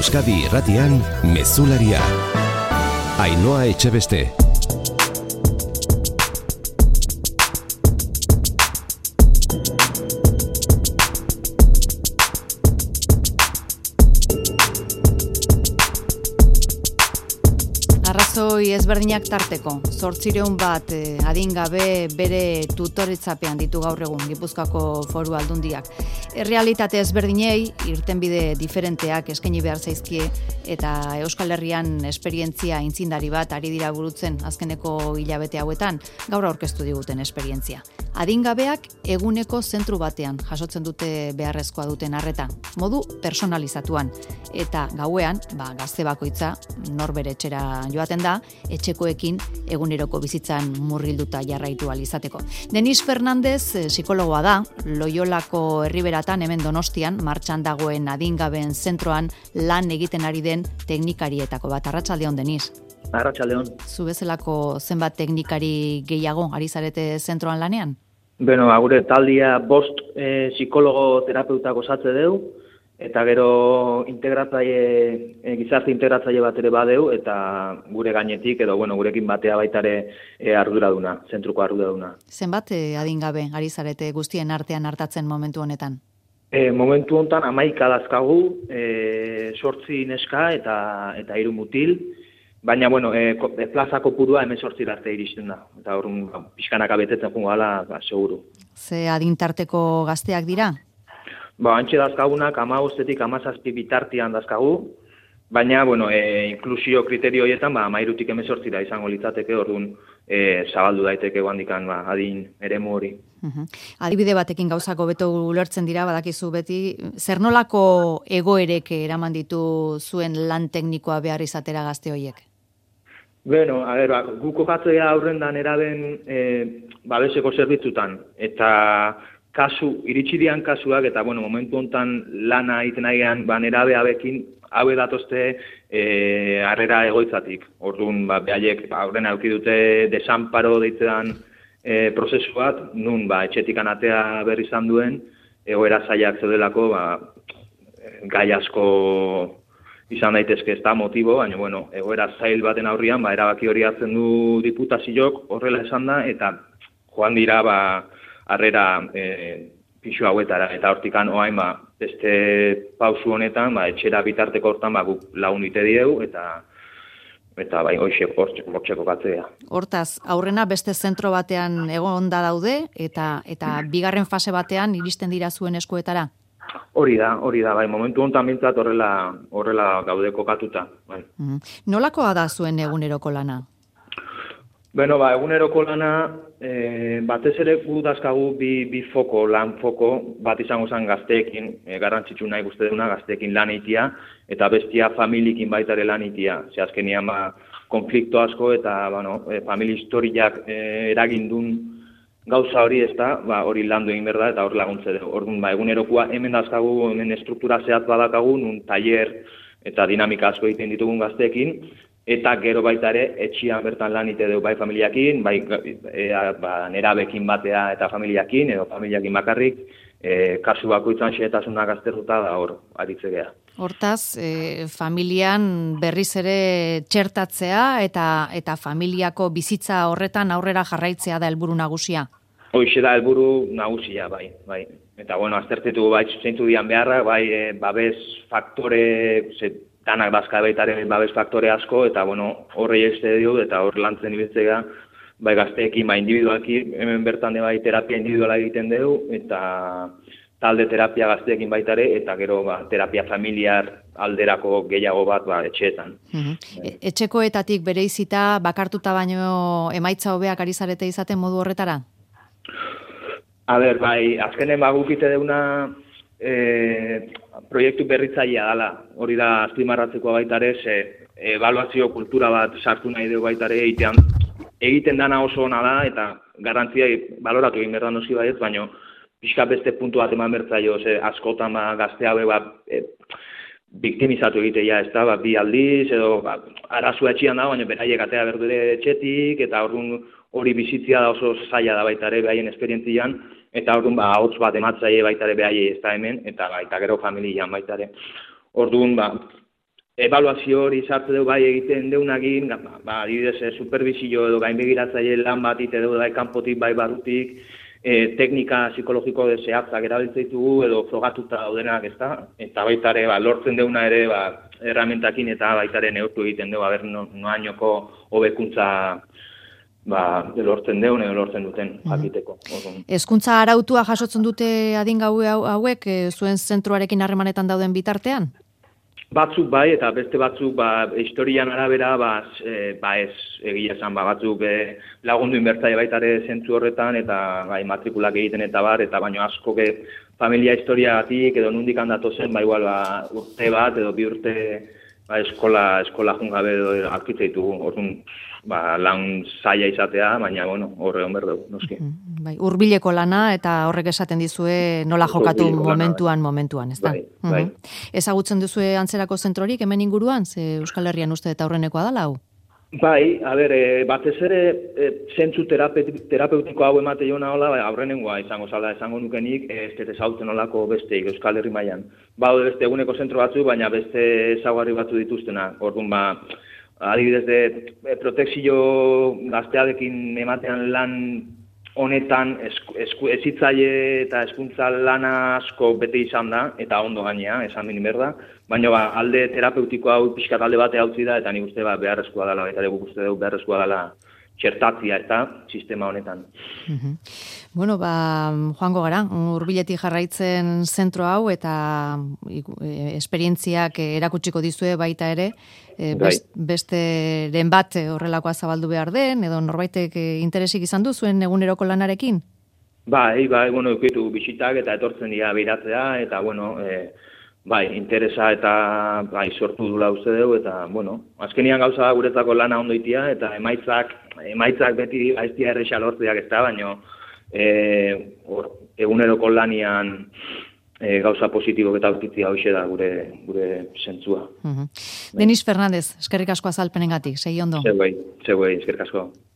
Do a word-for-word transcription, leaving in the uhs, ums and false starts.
Euskadi Irratian Mezularia. Ainhoa Etxebeste. Arrazoi ezberdinak tarteko, zortzireun bat eh, adingabe bere tutoretzapean ditu gaur egun Gipuzkoako Foru Aldundiak. Errealitate ezberdinei irtenbide diferenteak eskaini behar zaizkie eta Euskal Herrian esperientzia intzindari bat ari dira burutzen azkeneko hilabete hauetan, gaur aurkeztu diguten esperientzia. Adingabeak eguneko zentru batean jasotzen dute beharrezkoa duten arreta, modu personalizatuan, eta gauean, ba, gazte bakoitza norbere etxera joaten da, etxekoekin eguneroko bizitzan murgilduta jarraitu ahal izateko. Denis Fernandez psikologoa da, Loiolako Herriberatan hemen Donostian martxan dagoen adingabeen zentroan lan egiten ari den teknikarietako bat. Arratsaldeon, Denis. Arratsaldeon. Zu bezalako zenbat teknikari gehiago ari zarete zentroan lanean? Beno, gure taldia bost eh, psikologo terapeutak osatze deu, eta gero integratzaile, e, gizarte integratzaile bat ere badeu, eta gure gainetik, edo bueno, gurekin batea baitare e, arduraduna, zentruko arduraduna. Zenbat e, adingabe ari zarete guztien artean hartatzen momentu honetan? E, momentu honetan hamaika dazkagu, e, sortzi neska eta eta hiru mutil, baina, bueno, e, plaza kopurua hemen sortzir arte iristen da. Eta hor, pixkanaka betetzen jungo gala, ba, seguru. Ze adintarteko gazteak dira? Ba, antxe dazkagunak amabostetik amazazpi bitartian dazkagu, baina, bueno, e, inklusio kriterio horietan, ba, amairutik emezortzira izango litzateke, orduan e, zabaldu daiteke guandikan, ba, adin eremu hori. Uh-huh. Adibide batekin gauzako beto ulertzen dira, badakizu beti, zer nolako egoerek eraman ditu zuen lan teknikoa behar izatera gazte horiek? Bueno, a ver, ba, guko jatzea aurrendan eraben e, babeseko zerbitzutan, eta kasu, iritsi dian kasuak, eta bueno, momentu hontan lana egiten nahian, ba, nerabe habekin, haue datozte e, harrera egoitzatik. Orduan, ba, behaiek, ba, aurrena eduki dute desanparo deitzean e, prozesu bat, nun, ba, etxetik anatea berri izan duen, egoera zailak zeudelako, ba, gai asko izan daitezke ez da motibo, baina, bueno, egoera zail baten aurrian, ba, erabaki hori hartzen du diputaziok, horrela esan da, eta joan dira, ba, harrera e, pixu hauetara, eta hortikan oain, ba, beste pausu honetan, ba, etxera bitarteko hortan, ba, guk lagunite diegu, eta eta bai, hoxe, hortxeko katzea. Hortaz, aurrena beste zentro batean egon da daude, eta eta bigarren fase batean iristen dira zuen eskuetara? Hori da, hori da, bai, momentu honetan bintzat horrela, horrela gaude kokatuta. Bai. Mm. Nolakoa da zuen eguneroko lana? Bueno, ba, eguneroko lana, e, batez ere gu dazkagu bi, bi foko, lan foko, bat izango zen gazteekin, e, garrantzitsu nahi guzti duna gazteekin lan eitia, eta bestia familiekin baitare lan eitia. Ze azkenian, ba, konflikto asko eta, bueno, e, familia historiak e, eragindun gauza hori ez da, ba, hori landu egin behar da, eta hor laguntze dugu. Orduan, ba, egunerokoa hemen dazkagu, hemen struktura zehat badakagu, nun taller eta dinamika asko egiten ditugun gazteekin, eta gero baita ere, etxian bertan lan ite dugu bai familiakin, bai e, ba, nerabekin batea eta familiakin, edo familiakin bakarrik, e, kasu bakoitzan xehetasunak aztertuta da hor, aritzegea. Hortaz, e, familian berriz ere txertatzea eta eta familiako bizitza horretan aurrera jarraitzea da helburu nagusia. Hoixe da helburu nagusia, bai, bai. Eta bueno, aztertetu bai zeintu dian beharra, bai e, babes faktore, ze, danak dazka baitaren babes faktore asko, eta bueno, horrei este dio, eta hor lantzen ibiltzea, bai gazteekin, bai individualki, hemen bertan de bai terapia individuala egiten dugu, eta talde terapia gazteekin baitare, eta gero ba, terapia familiar alderako gehiago bat ba, etxeetan. Uh-huh. E- etxekoetatik bereizita bakartuta baino emaitza hobeak ari zarete izaten modu horretara? A ber, bai, azkenen bagukite deuna e, proiektu berritzailea dela, hori da azpimarratzekoa baitare, ze ebaluazio kultura bat sartu nahi dugu baitare egitean, egiten dana oso ona da, eta garantzia baloratu egin behar da noski baiet, baina pixka beste puntu bat eman bertzaio, ze askotan ba, gazte haue ba, e, biktimizatu egitea, ez da, ba, bi aldiz, edo ba, arazua etxian da, baina beraiek atea berdure etxetik, eta orduan hori bizitzia da oso zaila da baitare behaien esperientzian, eta orduan ba, ahots bat ematzaile baitare behaiei ez da hemen, eta baita gero familian baitare. Orduan, ba, ebaluazio hori sartu dugu bai egiten deunagin, ba, adibidez, eh, supervisio edo gainbegiratzaile lan bat ite dugu bai kanpotik bai barrutik, eh, teknika psikologiko de zehatzak erabiltzen ditugu edo frogatuta daudenak, ezta? Eta baita ere, ba, lortzen deuna ere, ba, erramentakin eta baita ere neurtu egiten dugu, aber no, noainoko hobekuntza ba, lortzen deun edo lortzen duten jakiteko. Hezkuntza arautua jasotzen dute adingabe hauek e, zuen zentroarekin harremanetan dauden bitartean? Batzuk bai, eta beste batzuk ba, historian arabera ba, e, ba ez egia esan, ba, batzuk e, lagundu inbertzaile baita ere zentzu horretan, eta bai, matrikulak egiten eta bar, eta baino asko ge, familia historiagatik edo nundik handatu zen, ba, igual, ba, urte bat edo bi urte ba, eskola, eskola jungabe edo aurkitze ditugu, orduan, ba, lan zaila izatea, baina, bueno, horre hon berdugu, noski. Bai, hurbileko lana eta horrek esaten dizue nola jokatu momentuan, bai. momentuan, ez da? Bai, bai. Ezagutzen duzue antzerako zentrorik hemen inguruan, ze Euskal Herrian uste eta aurrenekoa dela hau? Bai, a ber, e, batez ere e, zentzu terapeutiko hau emate jona hola, bai, aurrenengoa izango zala, esango nukenik, ez ez ezagutzen olako besteik Euskal Herri mailan. Baude beste eguneko zentro batzu, baina beste ezaugarri batzu dituztena. Orduan, ba, adibidez de protekzio gaztearekin ematean lan honetan esku, esku, ezitzaile eta hezkuntza lana asko bete izan da, eta ondo gainea, esan bini berda, baina ba, alde terapeutiko hau pixkat alde batea utzi da, eta nik uste ba, beharrezkoa dela, eta guk uste dugu beharrezkoa dela txertatzia eta sistema honetan. Uh-huh. Bueno, ba, joango gara, hurbiletik jarraitzen zentro hau eta e, esperientziak erakutsiko dizue baita ere, e, best, besteren bat horrelakoa zabaldu behar den, edo norbaitek interesik izan du zuen eguneroko lanarekin? Bai, bai, bueno, eukitu bisitak eta etortzen dira biratzea, eta bueno, e, bai, interesa eta bai, sortu dula uste dugu, eta, bueno, azkenian gauza guretzako lana ondo itia, eta emaitzak, emaitzak beti aiztia erresa lortzeak ez da, baina e, or, eguneroko lanian e, gauza positibok eta aurkitzia hoxe da gure, gure zentzua. Uh-huh. Denis Fernandez, eskerrik asko azalpenengatik, segi ondo. Zegoei, zegoei, eskerrik asko.